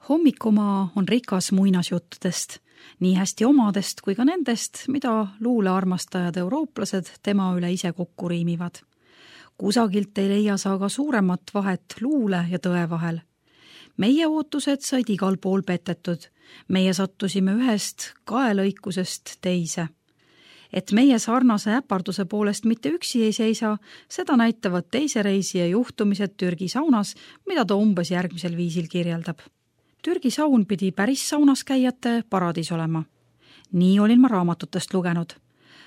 Hommikumaa on rikas muinasjuttudest, nii hästi omadest kui ka nendest, mida luulearmastajad eurooplased tema üle ise kokku riimivad. Kusagilt ei leia sa aga suuremat vahet luule ja tõe vahel. Meie ootused said igal pool petetud, meie sattusime ühest kaelõikusest teise. Et meie sarnase äparduse poolest mitte üksi ei seisa, seda näitavad teise reisija juhtumised Türgi saunas, mida ta umbes järgmisel viisil kirjeldab. Türgi saun pidi päris saunas käijate paradiis olema. Nii olin ma raamatutest lugenud.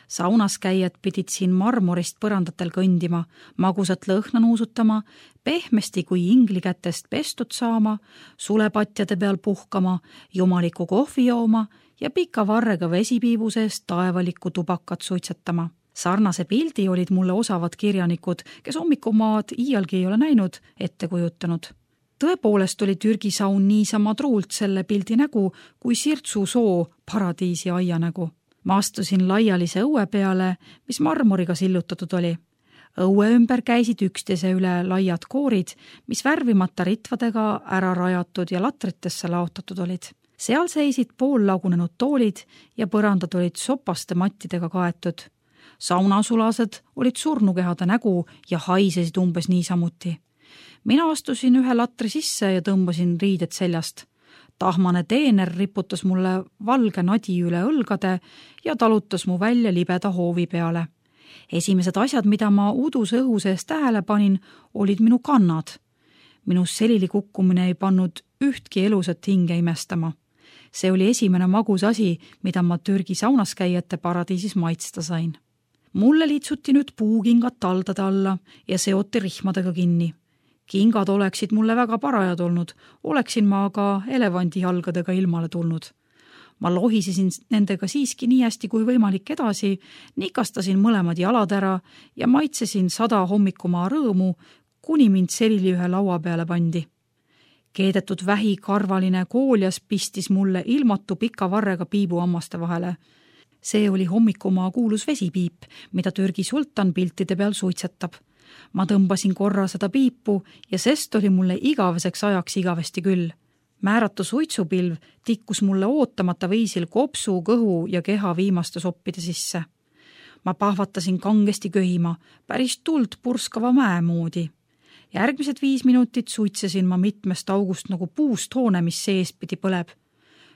Saunas käijad pidid siin marmorist põrandatel kõndima, magusat lõhna nuusutama, pehmesti kui ingli kätest pestud saama, sulepatjade peal puhkama, jumaliku kohvi jooma ja pika varrega vesipiibu seest taevalikku tubakat suitsetama. Sarnase pildi olid mulle osavad kirjanikud, kes hommikumaad iialgi ei ole näinud, ette kujutanud. Tõepoolest oli Türgi saun niisama truult selle pildi nägu kui Sirtsu soo paradiisi aia nägu. Ma astusin laialise õue peale, mis marmoriga sillutatud oli. Õue ümber käisid üksteise üle laiad koorid, mis värvimata ritvadega ära rajatud ja latritesse laotatud olid. Seal seisid poollagunenud toolid ja põrandad olid sopaste mattidega kaetud. Saunasulased olid surnukehade nägu ja haisesid umbes niisamuti. Mina astusin ühe latri sisse ja tõmbasin riided seljast. Tahmane teener riputas mulle valge nadi üle õlgade ja talutas mu välja libeda hoovi peale. Esimesed asjad, mida ma uduse õhu sees tähele panin, olid minu kannad. Minu selili kukkumine ei pannud ühtki elusat hinge imestama. See oli esimene magus asi, mida ma Türgi saunas käijate paradiisis maitsta sain. Mulle liitsuti nüüd puukingad taldade alla ja seoti rihmadega kinni. Kingad oleksid mulle väga parajad olnud, oleksin ma aga elevandi jalgadega ilmale tulnud. Ma lohisesin nendega siiski nii hästi kui võimalik edasi, nikastasin mõlemad jalad ära ja maitsesin 100 hommikumaa rõõmu, kuni mind selili ühe laua peale pandi. Keedetud vähikarvaline kooljas pistis mulle ilmatu pika varrega piibu hammaste vahele. See oli hommikumaa kuulus vesipiip, mida Türgi sultan piltide peal suitsetab. Ma tõmbasin korra seda piipu ja sest oli mulle igaveseks ajaks igavesti küll. Määratu suitsupilv tikkus mulle ootamata viisil kopsu, kõhu ja keha viimaste soppide sisse. Ma pahvatasin kangesti köhima, päris tuld purskava mäe moodi. Järgmised 5 minutit suitsesin ma mitmest august nagu puust hoone, mis seespidi põleb.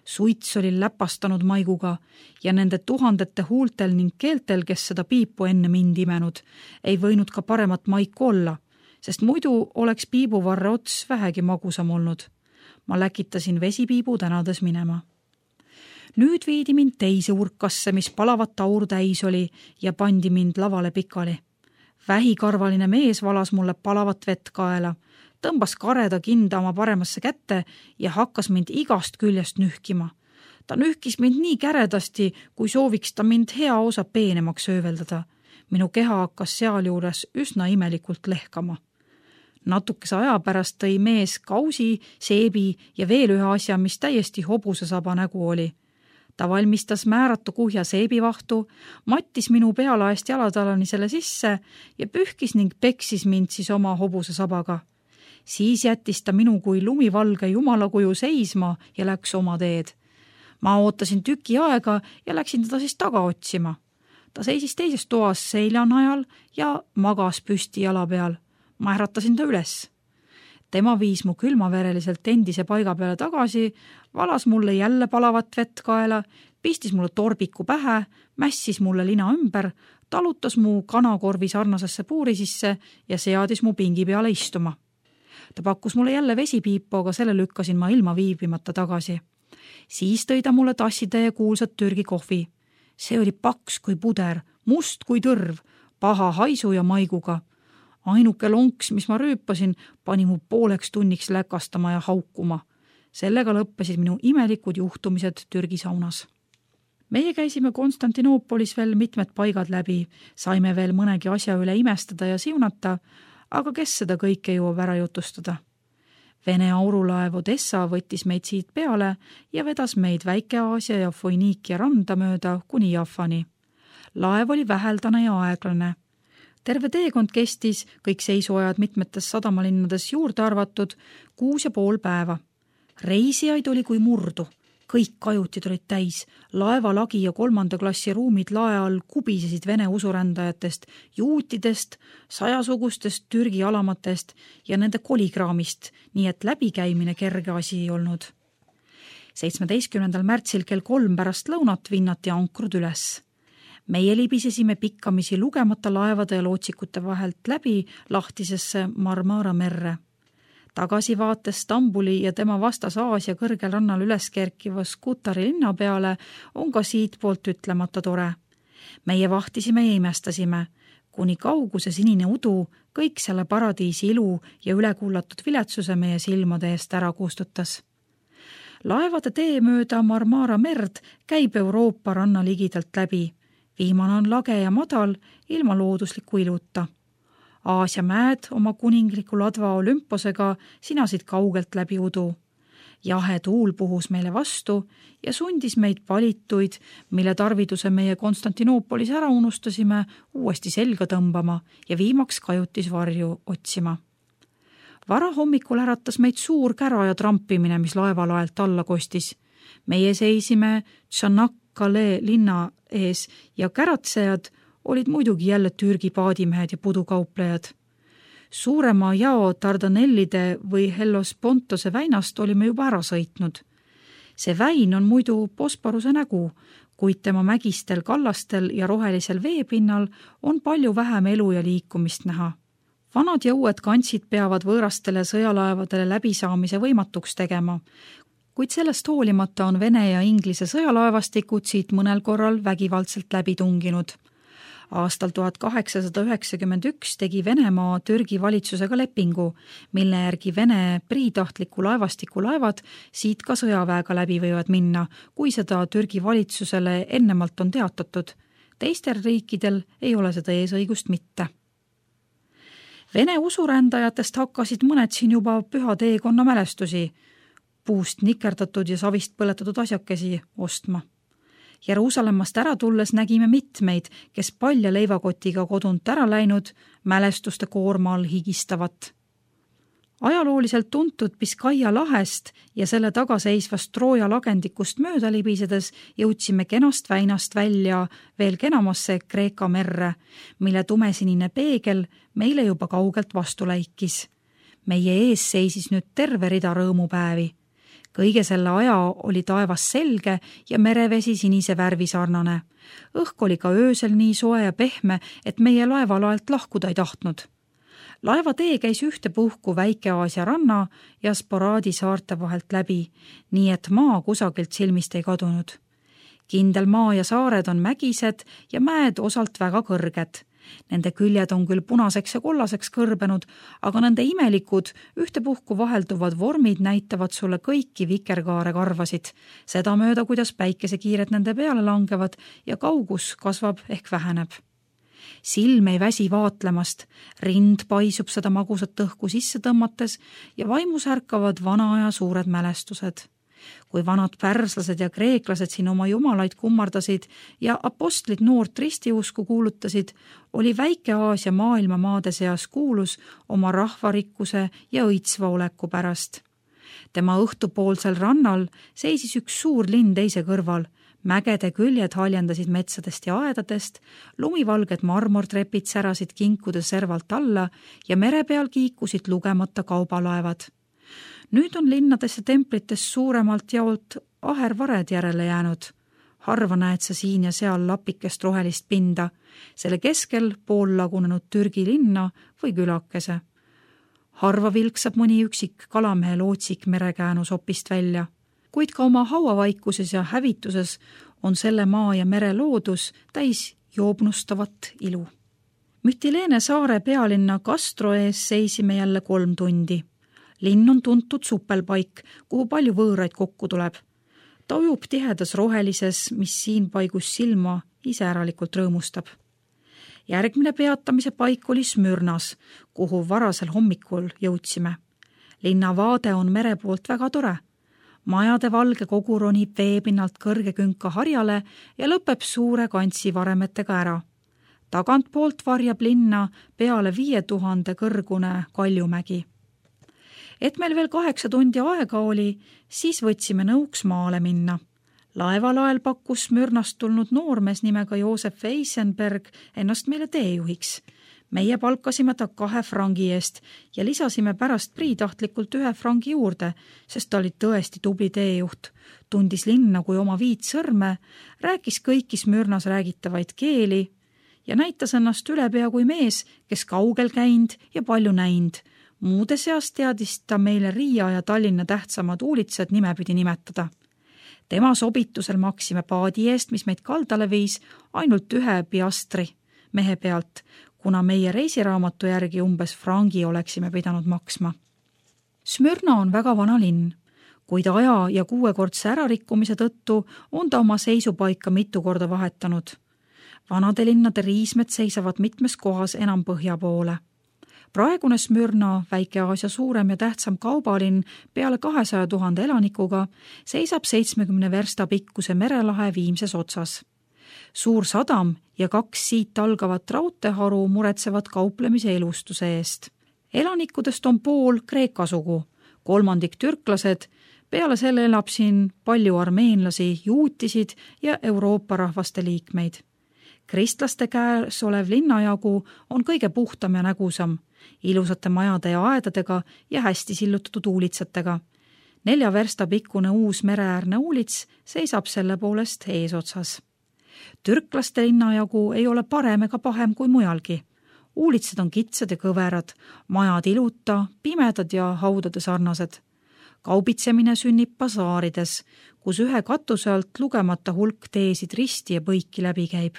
Suits oli läpastanud maiguga ja nende tuhandete huultel ning keeltel, kes seda piipu enne mind imenud, ei võinud ka paremat maiku olla, sest muidu oleks piibuvarre ots vähegi magusam olnud. Ma läkitasin vesipiibu tänades minema. Nüüd viidi mind teise urkasse, mis palavat taur täis oli ja pandi mind lavale pikali. Vähikarvaline mees valas mulle palavat vett kaela, tõmbas kareda kinda oma paremasse kätte ja hakkas mind igast küljest nühkima. Ta nühkis mind nii käredasti, kui sooviks ta mind hea osa peenemaks ööveldada. Minu keha hakkas sealjuures üsna imelikult lehkama. Natukese aja pärast tõi mees kausi, seebi ja veel ühe asja, mis täiesti hobusesaba nägu oli. Ta valmistas määratu kuhja seebivahtu, mattis minu pealaest jalatalani selle sisse ja pühkis ning peksis mind siis oma hobusesabaga. Siis jättis ta minu kui lumivalge jumalakuju seisma ja läks oma teed. Ma ootasin tüki aega ja läksin teda siis taga otsima. Ta seisis teises toas seljanajal ja magas püsti jala peal. Ma äratasin ta üles. Tema viis mu külmavereliselt endise paiga peale tagasi, valas mulle jälle palavat vett kaela, pistis mulle torbiku pähe, mässis mulle lina ümber, talutas mu kanakorvi sarnasesse puuri sisse ja seadis mu pingi peale istuma. Ta pakkus mulle jälle vesipiipu, aga selle lükkasin ma ilma viibimata tagasi. Siis tõi ta mulle tassitäie kuulsat Türgi kohvi. See oli paks kui puder, must kui tõrv, paha haisu ja maiguga. Ainuke lonks, mis ma rüüpasin, pani mu pooleks tunniks läkastama ja haukuma. Sellega lõppesid minu imelikud juhtumised Türgi saunas. Meie käisime Konstantinoopolis veel mitmed paigad läbi, saime veel mõnegi asja üle imestada ja siunata, aga kes seda kõike jõuab ära jutustada. Vene aurulaev Odessa võttis meid siit peale ja vedas meid Väike-Aasia ja Foiniikia randa mööda kuni Jaffani. Laev oli väheldane ja aeglane. Terve teekond kestis, kõik seisuajad mitmetes sadamalinnades juurde arvatud, 6,5 päeva. Reisijaid oli kui murdu. Kõik kajutid olid täis, laevalagi ja 3. klassi ruumid lae all kubisesid vene usurändajatest, juutidest, 100-sugustest Türgi alamatest ja nende kolikraamist, nii et läbikäimine kerge asi ei olnud. 17. märtsil kell 3 pärast lõunat vinnati ankrud üles. Meie libisesime pikkamisi lugemata laevade ja lootsikute vahelt läbi lahtisesse Marmara merre. Tagasivaates Stambuli ja tema vastas Aasia kõrgel rannal üles kerkiva Skutari linna peale on ka siit poolt ütlemata tore. Meie vahtisime ja imestasime, kuni kauguse sinine udu kõik selle paradiisi ilu ja ülekullatud viletsuse meie silmade eest ära kustutas. Laevade tee mööda Marmara merd käib Euroopa ranna ligidalt läbi. Viimane on lage ja madal ilma loodusliku iluta. Aasia mäed oma kuningliku ladva Olümposega sinasid kaugelt läbi udu. Jahe tuul puhus meile vastu ja sundis meid valituid, mille tarviduse meie Konstantinoopolis ära unustasime, uuesti selga tõmbama ja viimaks kajutisvarju otsima. Varahommikul äratas meid suur kära ja trampimine, mis laevalaelt alla kostis. Meie seisime Tšanakkale linna ees ja käratsejad olid muidugi jälle Türgi paadimehed ja pudukauplejad. Suurema jao Dardanellide või Hellespontose väinast olime juba ära sõitnud. See väin on muidu Bosporuse nägu, kuid tema mägistel kallastel ja rohelisel veepinnal on palju vähem elu ja liikumist näha. Vanad ja uued kantsid peavad võõrastele sõjalaevadele läbisaamise võimatuks tegema, kuid sellest hoolimata on Vene ja Inglise sõjalaevastikud siit mõnel korral vägivaldselt läbi tunginud. Aastal 1891 tegi Venemaa Türgi valitsusega lepingu, mille järgi Vene priitahtliku laevastiku laevad siit ka sõjaväega läbi võivad minna, kui seda Türgi valitsusele ennemalt on teatatud. Teistel riikidel ei ole seda eesõigust mitte. Vene usurändajatest hakkasid mõned siin juba püha teekonna mälestusi, puust nikerdatud ja savist põletatud asjakesi ostma. Jeruusalemmast ära tulles nägime mitmeid, kes palja leivakotiga kodunt ära läinud, mälestuste koorma all higistavat. Ajalooliselt tuntud Biskaia lahest ja selle tagaseisvast Trooja lagendikust mööda libisedes jõudsime kenast väinast välja veel kenamasse Kreeka merre, mille tumesinine peegel meile juba kaugelt vastu läikis. Meie ees seisis nüüd terve rida rõõmupäevi. Kõige selle aja oli taevas selge ja merevesi sinise värvi sarnane. Õhk oli ka öösel nii soe ja pehme, et meie laevalaelt lahkuda ei tahtnud. Laeva tee käis ühtepuhku Väike-Aasia ranna ja Sporaadi saarte vahelt läbi, nii et maa kusagilt silmist ei kadunud. Kindel maa ja saared on mägised ja mäed osalt väga kõrged. Nende küljed on küll punaseks ja kollaseks kõrbenud, aga nende imelikud, ühtepuhku vahelduvad vormid näitavad sulle kõiki vikerkaare karvasid, seda mööda, kuidas päikesekiired nende peale langevad ja kaugus kasvab ehk väheneb. Silm ei väsi vaatlemast, rind paisub seda magusat õhku sisse tõmmates ja vaimus ärkavad vana aja suured mälestused. Kui vanad pärslased ja kreeklased siin oma jumalaid kummardasid ja apostlid noort ristiusku kuulutasid, oli Väike-Aasia maailma maade seas kuulus oma rahvarikkuse ja õitsva oleku pärast. Tema õhtupoolsel rannal seisis üks suur linn teise kõrval, mägede küljed haljendasid metsadest ja aedadest, lumivalged marmortrepid särasid kinkude servalt alla ja mere peal kiikusid lugemata kaubalaevad. Nüüd on linnades ja templites suuremalt jaolt ahervared järele jäänud. Harva näed sa siin ja seal lapikest rohelist pinda, selle keskel pool lagunenud Türgi linna või külakese. Harva vilksab mõni üksik kalamehe lootsik merekäänus opist välja, kuid ka oma hauavaikuses ja hävituses on selle maa ja mere loodus täis joobnustavat ilu. Mütileene saare pealinna Castro ees seisime jälle 3 tundi. Linn on tuntud supelpaik, kuhu palju võõraid kokku tuleb. Ta ujub tihedas rohelises, mis siin paigus silma iseäralikult rõõmustab. Järgmine peatamise paik oli Smürnas, kuhu varasel hommikul jõudsime. Linna vaade on mere poolt väga tore. Majade valge kogu ronib veepinnalt kõrge künka harjale ja lõpeb suure kantsi varemetega ära. Tagantpoolt varjab linna peale 5000 kõrgune Kaljumägi. Et meil veel 8 tundi aega oli, siis võtsime nõuks maale minna. Laevalael pakkus Smyrnast tulnud noormees nimega Joosef Eisenberg ennast meile teejuhiks. Meie palkasime ta 2 frangi eest ja lisasime pärast priitahtlikult 1 frangi juurde, sest ta oli tõesti tubli teejuht. Tundis linna kui oma 5 sõrme, rääkis kõiki Smyrnas räägitavaid keeli ja näitas ennast ülepea kui mees, kes kaugel käinud ja palju näinud. Muude seas teadis ta meile Riia ja Tallinna tähtsamad uulitsad nimepidi nimetada. Tema sobitusel maksime paadi eest, mis meid kaldale viis, ainult 1 piastri mehe pealt, kuna meie reisiraamatu järgi umbes frangi oleksime pidanud maksma. Smyrna on väga vana linn, kuid aja ja 6-kordse ärarikkumise tõttu on ta oma seisupaika mitu korda vahetanud. Vanade linnade riismed seisavad mitmes kohas enam põhja poole. Praegune Smyrna, Väike-Aasia suurem ja tähtsam kaubalinn peale 200 000 elanikuga, seisab 70 versta pikkuse merelahe viimses otsas. Suur sadam ja 2 siit algavat raudteeharu muretsevad kauplemise elustuse eest. Elanikudest on pool Kreeka sugu, 3 türklased, peale selle elab siin palju armeenlasi, juutisid ja Euroopa rahvaste liikmeid. Kristlaste käes olev linnajagu on kõige puhtam ja nägusam, ilusate majade ja aedadega ja hästi sillutatud uulitsatega. 4 versta pikkune uus mereäärne uulits seisab selle poolest eesotsas. Türklaste linnajagu ei ole parem ega pahem kui mujalgi. Uulitsad on kitsad ja kõverad, majad iluta, pimedad ja haudade sarnased. Kaubitsemine sünnib basaarides, kus 1 katuse alt lugemata hulk teesid risti ja põiki läbi käib.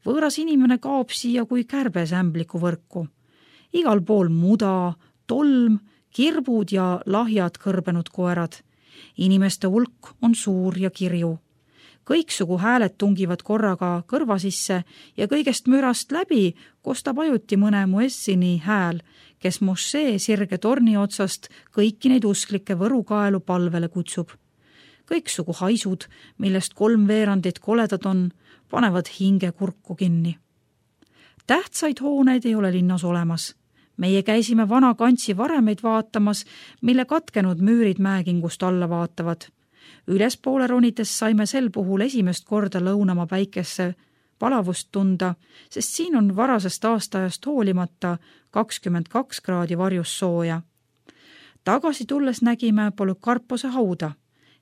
Võõras inimene kaob siia kui kärbes ämbliku võrku. Igal pool muda, tolm, kirbud ja lahjad kõrbenud koerad. Inimeste hulk on suur ja kirju. Kõiksugu hääled tungivad korraga kõrva sisse ja kõigest mürast läbi kostab ajuti mõne muessini hääl, kes mošee sirge torni otsast kõiki neid usklikke võrukaelu palvele kutsub. Kõiksugu haisud, millest 3/4 koledad on, panevad hinge kurku kinni. Tähtsaid hooneid ei ole linnas olemas. Meie käisime vana kantsi varemeid vaatamas, mille katkenud müürid mäekingust alla vaatavad. Ülespoole ronides saime sel puhul esimest korda lõunama päikesse palavust tunda, sest siin on varasest aastaajast hoolimata 22 kraadi varjus sooja. Tagasi tulles nägime Polükarpose hauda.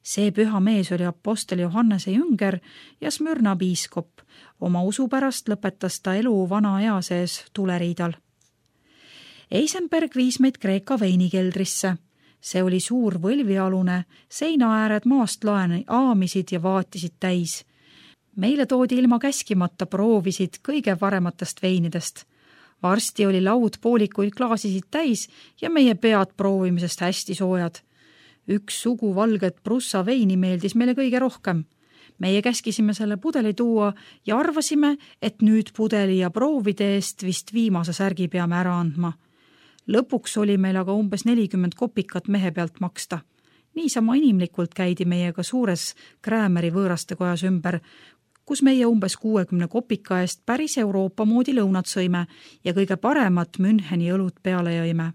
See püha mees oli apostel Johannese jünger ja Smyrna piiskop. Oma usu pärast lõpetas ta elu vana ea sees tuleriidal. Eisenberg viis meid Kreeka veinikeldrisse. See oli suur võlvialune, seinaääred maast laeni aamisid ja vaatisid täis. Meile toodi ilma käskimata proovisid kõige parematest veinidest. Varsti oli laud poolikuid klaasisid täis ja meie pead proovimisest hästi soojad. Üks sugu valget prussa veini meeldis meile kõige rohkem. Meie käskisime selle pudeli tuua ja arvasime, et nüüd pudeli ja proovide eest vist viimase särgi peame ära andma. Lõpuks oli meil aga umbes 40 kopikat mehe pealt maksta. Niisama inimlikult käidi meiega suures Kräämeri võõraste kojas ümber, kus meie umbes 60 kopika eest päris Euroopa moodi lõunad sõime ja kõige paremat Müncheni õlut peale jõime.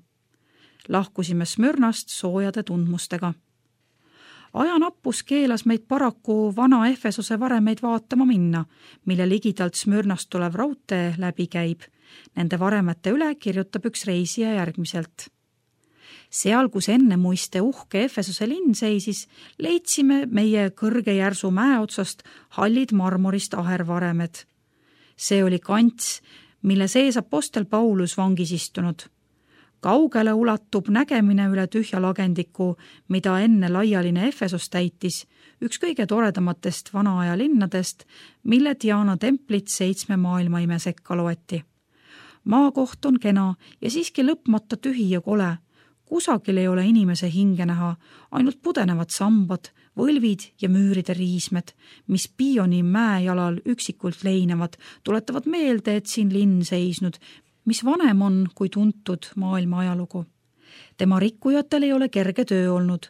Lahkusime Smyrnast soojade tundmustega. Ajanappus keelas meid paraku vana Efesose varemeid vaatama minna, mille ligidalt Smyrnast tulev raudtee läbi käib. Nende varemete üle kirjutab üks reisija järgmiselt. Seal, kus enne muiste uhke Efesose linn seisis, leidsime meie kõrge järsu mäe otsast hallid marmorist ahervaremed. See oli kants, mille sees apostel Paulus vangis istunud. Kaugele ulatub nägemine üle tühja lagendiku, mida enne laialine Efesos täitis, üks kõige toredamatest vanaaja linnadest, mille Diana templit 7 maailmaime sekka loeti. Maakoht on kena ja siiski lõpmata tühi ja kole. Kusagil ei ole inimese hinge näha, ainult pudenevad sambad, võlvid ja müüride riismed, mis Pioni mäejalal üksikult leinevad, tuletavad meelde, et siin linn seisnud, mis vanem on kui tuntud maailma ajalugu. Tema rikkujatel ei ole kerge töö olnud.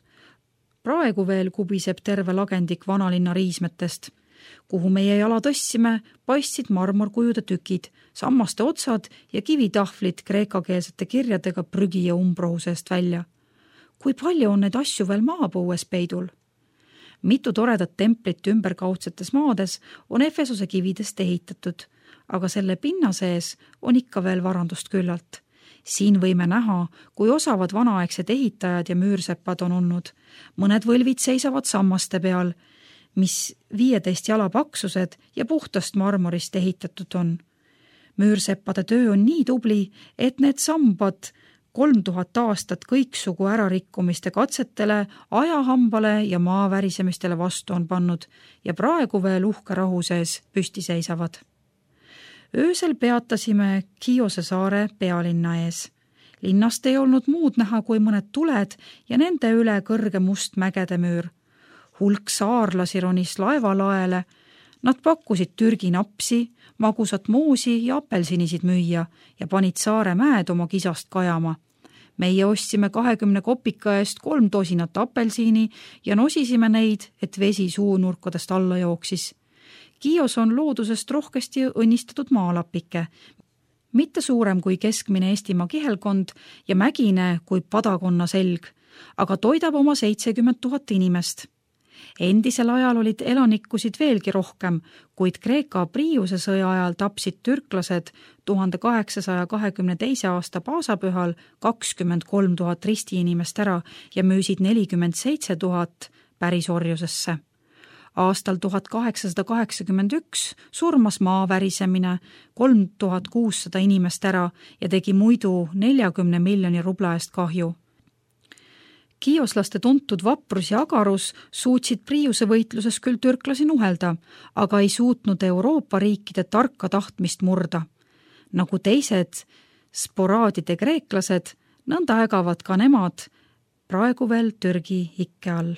Praegu veel kubiseb terve lagendik vanalinna riismetest. Kuhu meie jala tõstsime, paistsid marmorkujude tükid, sammaste otsad ja kivitahvlid kreekakeelsete kirjadega prügi ja umbrohusest välja. kui palju on neid asju veel maapõues peidul? Mitu toredat templit ümberkaudsetes maades on Efesose kividest ehitatud, aga selle pinna sees on ikka veel varandust küllalt. Siin võime näha, kui osavad vanaaegsed ehitajad ja müürseppad on olnud. Mõned võlvid seisavad sammaste peal, mis 15 jala paksused ja puhtast marmorist ehitatud on. Müürseppade töö on nii tubli, et need sambad 3000 aastat kõiksugu ärarikkumiste katsetele, ajahambale ja maavärisemistele vastu on pannud ja praegu veel uhke rahu sees püsti seisavad. Öösel peatasime Chiose saare pealinna ees. Linnast ei olnud muud näha kui mõned tuled ja nende üle kõrge must mägede müür. Hulk saarlasi ronis laevalaele. Nad pakkusid Türgi napsi, magusat moosi ja apelsinisid müüa ja panid saare mäed oma kisast kajama. Meie ostsime 20 kopika eest 3 tosinat apelsini ja nosisime neid, et vesi suunurkadest alla jooksis. Chios on loodusest rohkesti õnnistatud maalapike, mitte suurem kui keskmine Eestimaa kihelkond ja mägine kui padakonna selg, aga toidab oma 70 000 inimest. Endisel ajal olid elanikkusid veelgi rohkem, kuid Kreeka Priiuse sõja ajal tapsid türklased 1822. aasta paasapühal 23 000 ristiinimest ära ja müüsid 47 000 pärisorjusesse. Aastal 1881 surmas maavärisemine 3600 inimest ära ja tegi muidu 40 miljoni rubla eest kahju. Chioslaste tuntud vaprus ja agarus suutsid Priiuse võitluses küll türklasi nuhelda, aga ei suutnud Euroopa riikide tarka tahtmist murda. Nagu teised sporaadide kreeklased, nõnda ägavad ka nemad praegu veel Türgi ikke all.